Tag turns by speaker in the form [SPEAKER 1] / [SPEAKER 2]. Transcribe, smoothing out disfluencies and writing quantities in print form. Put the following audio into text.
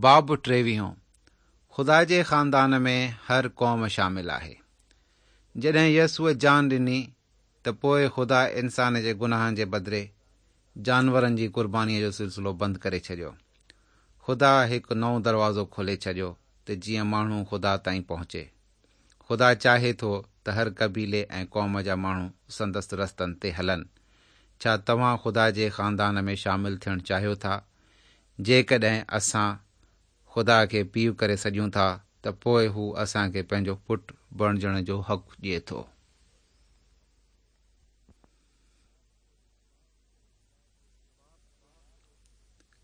[SPEAKER 1] باب ٽيويهون، خدا جي خاندان ۾ هر قوم شامل آهي. جڏهن يسوع جان ڏني ته پوء خدا انسان جي گناهن جي بدلي جانورن جي قربانيء جو سلسلو بند ڪري ڇڏيو. خدا هڪ نئون دروازو کولي ڇڏيو ته جيئن ماڻهو خدا تائين پهچي. خدا چاهي ٿو ته هر قبيلي ۽ قوم جا ماڻهو سندس رستن تي هلن. ڇا توهان خدا جي خاندان ۾ شامل ٿيڻ چاهيو ٿا؟ جيڪڏهن اسان خدا کي پيء ڪري سڏيون ٿا ته پوء هو اسان کي پنهنجو پٽ بڻجڻ جو حق ڏئي ٿو.